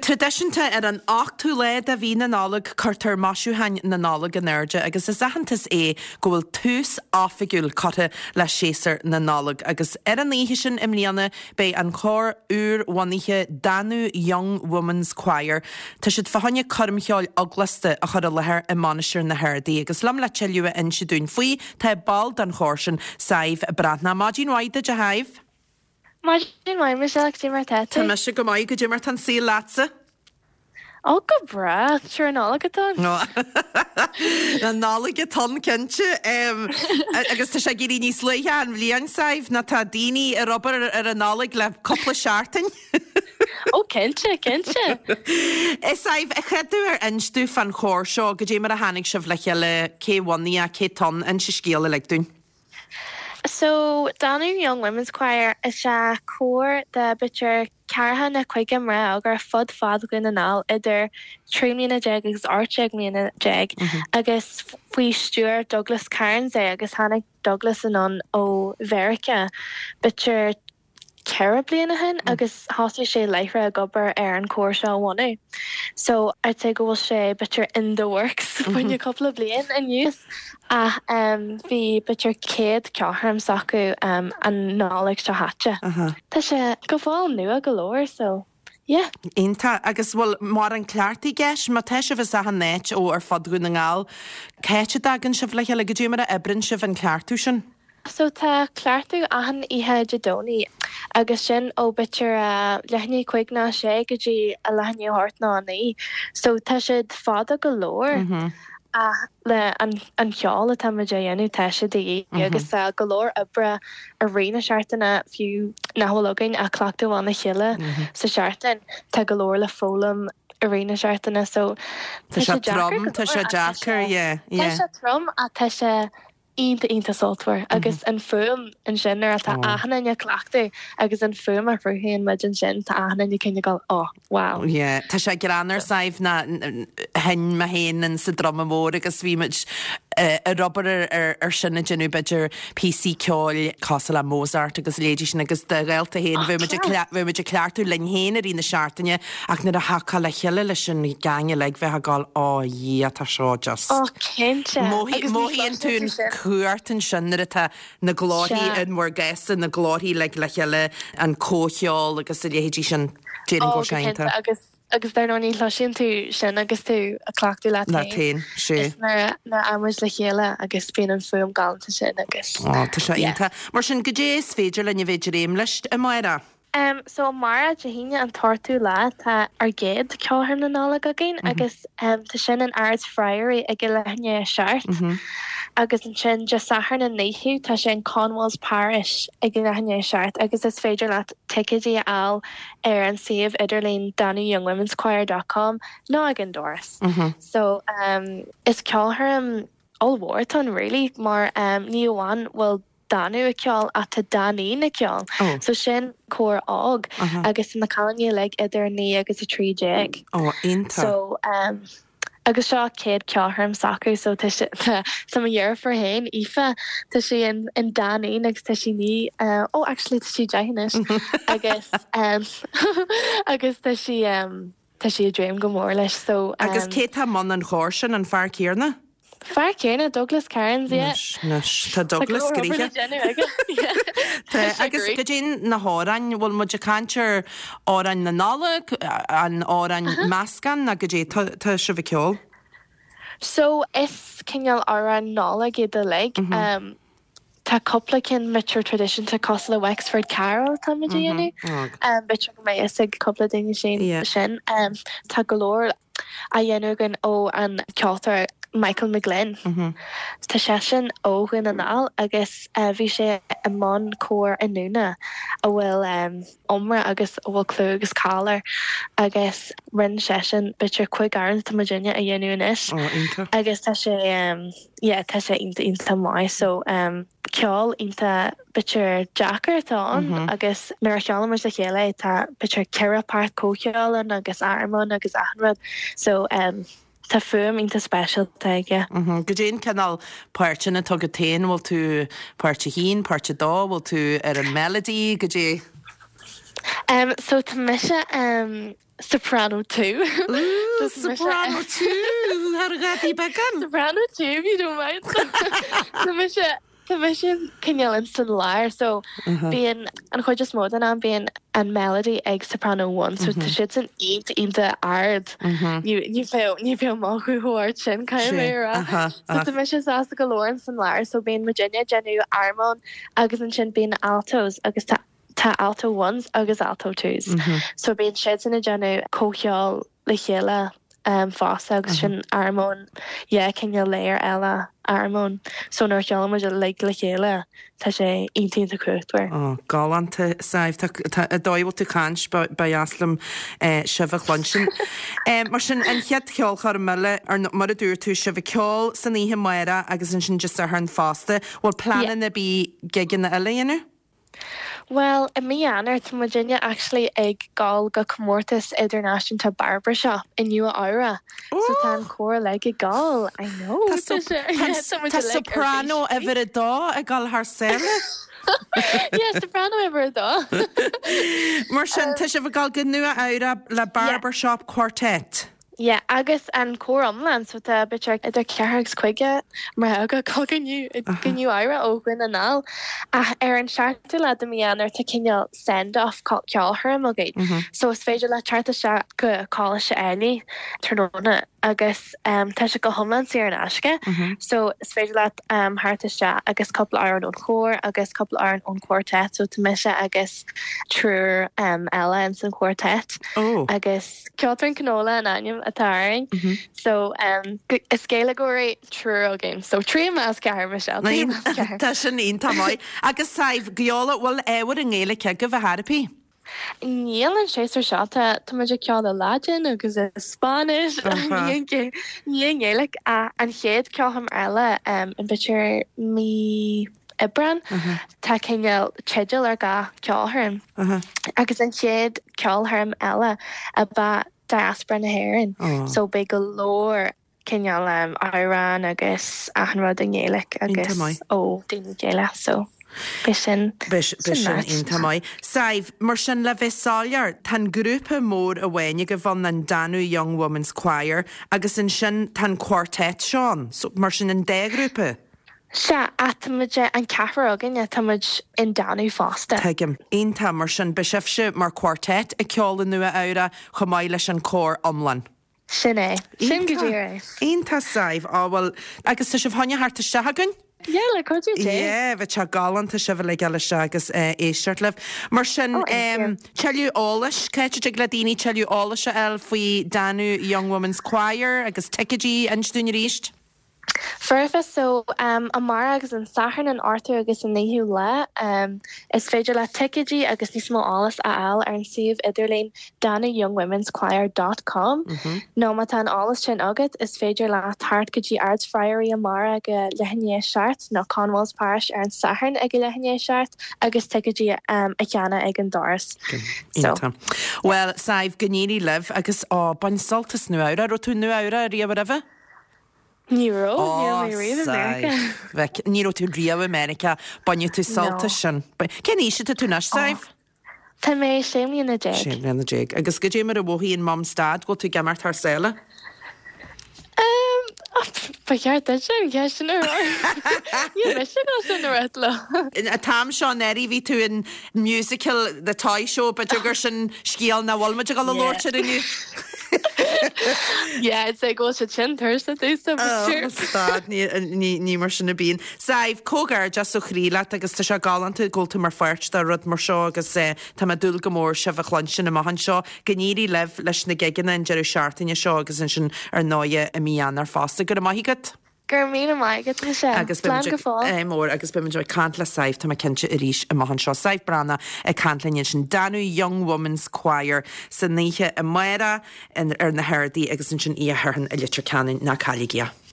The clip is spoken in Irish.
traidisiúnta, ar an ochtú lá de mhí na Nollag cuirtear maisiúcháin na Nollag in airde agus is aitheantas é go bhfuil tús oifigiúil curtha le séasúr na Nollag. Agus ar an oíche sin i mbliana beidh an cór úr-bhunaithe Danú Young Women's Choir, tá siad fá choinne coirmcheoil eaglasta a chur i láthair i Mainistir na hArdaí. Agus liom le tuilleadh a inse dúinn faoi tá ball den chór sin, Sadhbh Breathnach. Maidin mhaith duit a Shadhbh! Maidin mhaith, Michelle, goidé mar tá tú? Tá mise go maith, goidé mar tá an saol leatsa? Ó, go breá, sure an Nollaig atá ann. An Nollaig atá ann, cinnte. Agus tá sé ag éirí níos luaithe an bhliain, Sadhbh, nó tá daoine ar obair ar an Nollaig le cúpla seachtain. Ó, cinnte, cinnte. A Sadhbh, a chéaduair inis domh fán chór seo, goidé mar a tháinig sibh le chéile, cé bhunaigh é, cé tá ann, inis an scéal uilig dúinn. So, Danú Young Women's Choir is ea cór de b'fhéidir ceathracha nó 50 mná óga ar fud fad Dhún na nGall idir 13 mbliana agus 18 mbliana agus faoi stiúir Douglas Cairns é agus tháinig Douglas anonn ó Mheiriceá b'fhéidir 4 bliana ó shin agus thosaigh sé láithreach ag obair ar an chór seo a bhunú. So, I'd say go bhfuil sé b'fhéidir in the works fá choinne cúpla bliain anuas ach bhí b'fhéidir céad ceolchoirm s'acu an Nollaig seo chaite. Tá sé go fóill nua go leor so, yeah. Iontach. Agus bhfuil mórán cleachtaidh i gceist? Má tá sibh as achan áit ó ar fud Dhún na nGall, cá háit a dtagann sibh le chéile? Goidé mar a oibreann sibh an cleachtadh sin? So tá cleachtadh achan oíche Dé Domhnaigh agus sin ó b'fhéidir a leath i ndiaidh 5 nó 6 go dtí a leath i ndiaidh 8 nó 9. So tá siad fada go leor ach le an an cheol atá muid a dhéanamh tá sé de dhíth agus tá go leor oibre i rith na seachtaine fiú nach bhfuil againn ach cleachtadh amháin le chéile sa seachtain tá go leor le foghlaim i rith na seachtaine so tá sé trom tá sé deacair yeah yeah. Tá sé trom ach tá sé iontach iontach sultmhar agus an fuaim ansin nuair atá achan duine ag cleachtadh agus an fuaim a chruthaíonn muid ansin tá achan duine cineál ag gabháil oh wow. Yeah tá sé greannmhar Sadhbh ná sheinn mé féin in sa druma mór agus bhí muid ar obair ar ar sin ag déanamh b'fhéidir píosaí ceoil cosúil le Mozart agus a leithéidí sin agus do ghaolta féin bheadh muid ag bheadh muid ag cleachtadh linn féin i rith na seachtaine ach nuair a thiocfá le chéile leis an gang uilig bheifeá ag gabháil oh yeah tá seo just Oh cinnte. Agus ní Mothaíonn tú an chumhacht ansin nuair atá na glórthaí Sea. in bhur gcás-sa, na glórthaí uilig le chéile, an comhcheol agus a leithéidí sin. Déarfainn go Oh go cinnte iontach. agus agus dar ndóigh ní chloiseann tú sin agus tú ag cleachtadh leat Leat féin. féin, sea. Is nuair a nuair a muid le chéile agus bíonn an fuaim galánta sin agus Ó, tá sé yeah. iontach. Mar sin, goidé is féidir linn a bheith ag dréim leis amárach? Em so amárach Dé hAoine an t-ochtú lá tá ár gcéad ceolchoirm na Nollag againn agus em tá sin in Ards Friary ag a leath i ndiaidh a 7 agus ansin Dé Sathairn an 9ú tá sé in Conwalls Parish ag a leath i ndiaidh a 7 agus is féidir leat ticéidí a fháil ar an suíomh idirlín danuyoungwomenschoir dot com nó ag an doras. So em is ceolchoirm ollmhór atá ann really mar em ní amháin bhfuil Danú ag ceol ach tá Danín ag ceol. So sin cór óg agus tá na cailíní uilig idir 9 agus 13. Ó, iontach. So um, agus seo céad ceolchoirm s'acu so tá sé tá tá mo dheirfiúr féin Aoife tá sí in in Danín agus tá sí 9 uh, oh actually tá sí 10 anois agus um, agus tá sí um, Tá sí ag dréim go mór leis so. Agus cé tá i mbun an chóir sin, an fear céanna? Fear céanna, Douglas Cairns, yeah. Anois, anois, tá Douglas Tá go leor obair le gnoitheach. déanamh aige, yeah. Tá, Tá sé agus great. goidé na hamhráin, bhfuil muid ag caint ar amhráin na Nollag, an amhráin meascán nó goidé tá, tá sibh ag ceol? So, is cineál amhráin Nollag iad uilig. Tá cúpla ceann b'fhéidir traidisiúnta cosúil le Wexford Carol atá muid a dhéanamh. B'fhéidir go mbeidh fhios ag cúpla daoine sin. Tá go leor á dhéanamh againn ó an ceoltóir Michael McGlynn. Tá seisean ó Dhún na nGall agus bhí sé i mbun cór i nDún a bhfuil iomrá agus a bhfuil clú agus cáil air agus rinne seisean b'fhéidir 5 amhrán atá muidinne a dhéanamh anois agus tá sé yeah tá sé iontach iontach maith so um ceol iontach b'fhéidir deacair atá ann agus nuair a cheolann muid le chéile é tá b'fhéidir 4 páirt comhcheoil ann agus armóin agus achan rud so um tá fuaim iontach speisialta aige. Goidé an cineál páirteanna atá agat féin, bhfuil tú páirt a haon, páirt a dó, bhfuil tú ar an melody, goidé? Um so tá mise um. Soprano 2. Ooh, Soprano 2! Thar ghadaí beagán! Soprano 2, if you don't mind. Tá mise, tá mise cineál in san lár, so bíonn, an chuid is mó den am, bíonn an melody ag Soprano 1, so tá siadsan iontach, iontach ard. Ní, ní bheadh, ní bheadh mo ghuth chomh ard sin, caithfidh mé a rá. So tá mise sásta go leor in san lár, so bíonn muidinne ag déanamh armóin agus ansin bíonn na altos agus tá Tá alto ones agus alto twos. So bíonn siadsan ag déanamh comhcheol le chéile fosta agus sin armóin, yeah, cineál layer eile armóin. So nuair a cheolann muid uilig le chéile tá sé iontach iontach cumhachtmhar. Oh, galánta, Sadhbh. Tá, tá, an dóigh a bhfuil tú ag caint, ba, ba dheas liom sibh a chluinstin. Mar sin, an chéad cheolchoirm eile, ar, mar a dúirt tú, sibh ag ceol san oíche amárach agus ansin Dé Sathairn fosta. Bhfuil pleananna ar bith gigeanna eile a dhéanamh? Bhuel, i mí Eanáir, tá muidinne actually ag gabháil go comórtas idirnáisiúnta barbershop i Nua Eabhra. So tá an cór uilig ag gabháil. I know! Tá tá soprano uimhir a dó ag dul thar sáile. Yeah, soprano uimhir a dó. Mar sin, tá sibh ag gabháil go Nua Eabhra le barbershop quartet. Yeah, agus an cór iomlán, so tá b'fhéidir idir ceathrar agus cúigear mná ag gabháil go go Nua Eabhra ó Dhún na nGall. Ach ar an seachtú lá de mí Eanáir tá cineál send off ceolchoirm againn. So is féidir leat teacht isteach go Coláiste Ailigh tráthnóna agus tá sé go hiomlán saor in aisce. So is féidir leat theacht isteach agus cúpla amhrán ón chór agus cúpla amhrán ón quartet, so tá mise agus triúr eile ins an quartet agus Ceolfhoireann Canóla an ainm atá orainn. So is Gaeilgeoirí triúr againn. So trí i measc ceathrar, Michelle, trí i measc ceathrar. Tá sin iontach maith. Agus Sadhbh, gheall, bhfuil ábhar i nGaeilge agaibh ar chor ar bith? Níl an séasúr seo. Tá tá muid ag ceol i Laidin agus i Spáinnis, ní ní i nGaeilge. Ach an chéad ceolchoirm eile in b'fhéidir mí Aibreán. Tá cineál teideal ar gach ceolchoirm agus an chéad ceolchoirm eile ab ea Diaspora na hÉireann so beidh go leor cineál amhrán agus achan rud i nGaeilic agus ó daoine Gaelach so beidh sin Beidh sin iontach maith. Sadhbh, mar sin le bheith soiléir, tá an grúpa mór amháin agaibh ann, an Danú Young Women's Choir, agus ansin tá an quartet seo ann, so mar sin an dá ghrúpa? Sea, ach tá muid, an ceathrar againne, tá muid in Danú fosta. Tuigim. Iontach, mar sin beidh sibhse mar quartet ag ceol i Nua Eabhrac chomh maith leis an cór iomlán. Sin é. Sin go díreach é. Iontach, Sadhbh. Á bhuel, agus tá sibh chun a theacht isteach againn? Yeah, le cuidiú Dé. Yeah, bheadh sé galánta sibh uilig a fháil isteach agus éisteacht libh. Mar sin, Oh, thank you. tuilleadh eolais, cá háit a dtig le daoine tuilleadh eolais a fháil faoi Danú Young Women's Choir agus ticéidí, inis dúinn arís? Foirfe, so amárach agus an Satharn an 8ú agus an 9ú lá. Is féidir leat ticéidí agus níos mó eolas a fháil ar an suíomh idirlín danuyoungwomenschoir dot com nó má tá an eolas sin agat is féidir leat theacht go dtí Ards Friary amárach ag a leath i ndiaidh a 7 nó Conwalls Parish ar an Satharn ag a leath i ndiaidh a 7 agus ticéidí a cheannach ag an doras. So. Bhuel, Sadhbh, go n-éirí libh agus, ó, bain sult as Nua Eabhrac. Raibh tú i Nua Eabhrac riamh roimhe? Ní raibh, ní raibh mé riamh i Meiriceá. Bheck, ní raibh tú riamh i Meiriceá. Bainfidh tú sult as sin. Cén aois atá tú anois, Sadhbh? Tá mé 16 mbliana. 16 mbliana. Agus goidé mar a mhothaíonn Mum 's Dad go bhfuil tú ag imeacht thar sáile? Ba cheart duitse an cheist sin a rá. Níl mise ag dul sin a rá leo. An t-am seo anuraidh bhí tú in musical The Toy Show, b'fhéidir gur sin scéal nach bhfuil muid ag dul a labhairt air inniu. Yeah, I'd say go bhfuil siad sin tuirseach domsa, but sure. Oh, stad, ní, ní, ní mar sin a bíonn. Sadhbh, comhghairdeas ó chroí leat agus tá sé galánta go bhfuil tú mar pháirt de rud mar seo agus eh, tá mé ag dúil go mór sibh a chluinstin amach anseo. Go n-éirí libh leis na gigeanna an deireadh seachtaine seo agus ansin ar ndóighe i mí Eanáir fosta. Go raibh maith agat. Go raibh míle maith agat, Michelle. Agus Slán go fóill. Ádh mór agus beimid ag caint le Sadhbh, tá mé cinnte, arís amach anseo. Sadhbh Breathnach ag caint linn ansin. Danú Young Women's Choir san oíche amárach ar na hArdaí agus ansin oíche Shathairn i Leitir Ceanainn. Ná cailligí é.